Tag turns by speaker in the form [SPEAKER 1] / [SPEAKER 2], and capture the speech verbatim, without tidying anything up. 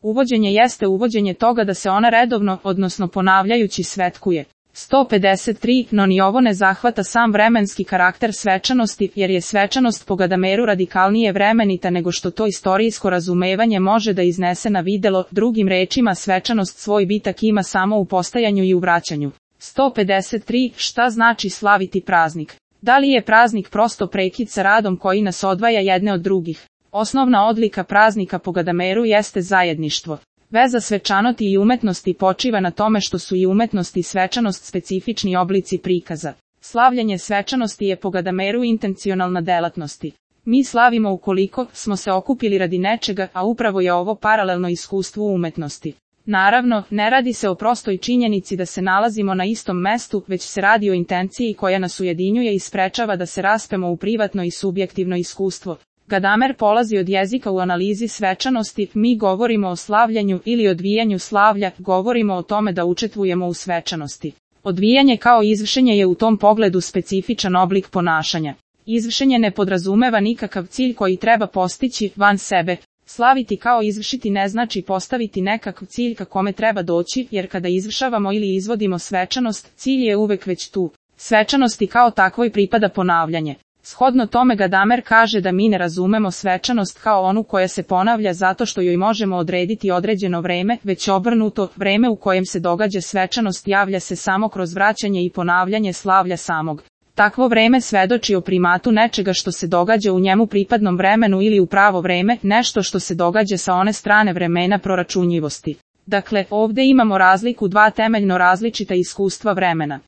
[SPEAKER 1] Uvođenje jeste uvođenje toga da se ona redovno, odnosno ponavljajući svetkuje. sto pedeset tri. No ni ovo ne zahvata sam vremenski karakter svečanosti, jer je svečanost po Gadameru radikalnije vremenita nego što to istorijsko razumevanje može da iznese na videlo, drugim rečima svečanost svoj bitak ima samo u postajanju i u vraćanju. sto pedeset tri. Šta znači slaviti praznik? Da li je praznik prosto prekid sa radom koji nas odvaja jedne od drugih? Osnovna odlika praznika po Gadameru jeste zajedništvo. Veza svečanosti i umetnosti počiva na tome što su i umetnost i svečanost specifični oblici prikaza. Slavljenje svečanosti je po Gadameru intencionalna delatnosti. Mi slavimo ukoliko smo se okupili radi nečega, a upravo je ovo paralelno iskustvu umetnosti. Naravno, ne radi se o prostoj činjenici da se nalazimo na istom mestu, već se radi o intenciji koja nas ujedinjuje i sprečava da se raspemo u privatno i subjektivno iskustvo. Gadamer polazi od jezika u analizi svečanosti, mi govorimo o slavljanju ili odvijanju slavlja, govorimo o tome da učestvujemo u svečanosti. Odvijanje kao izvršenje je u tom pogledu specifičan oblik ponašanja. Izvršenje ne podrazumeva nikakav cilj koji treba postići van sebe. Slaviti kao izvršiti ne znači postaviti nekakav cilj ka kome treba doći, jer kada izvršavamo ili izvodimo svečanost, cilj je uvek već tu. Svečanosti kao takvoj pripada ponavljanje. Shodno tome Gadamer kaže da mi ne razumemo svečanost kao onu koja se ponavlja zato što joj možemo odrediti određeno vreme, već obrnuto, vreme u kojem se događa svečanost javlja se samo kroz vraćanje i ponavljanje slavlja samog. Takvo vreme svedoči o primatu nečega što se događa u njemu pripadnom vremenu ili u pravo vreme, nešto što se događa sa one strane vremena proračunljivosti. Dakle, ovde imamo razliku dva temeljno različita iskustva vremena.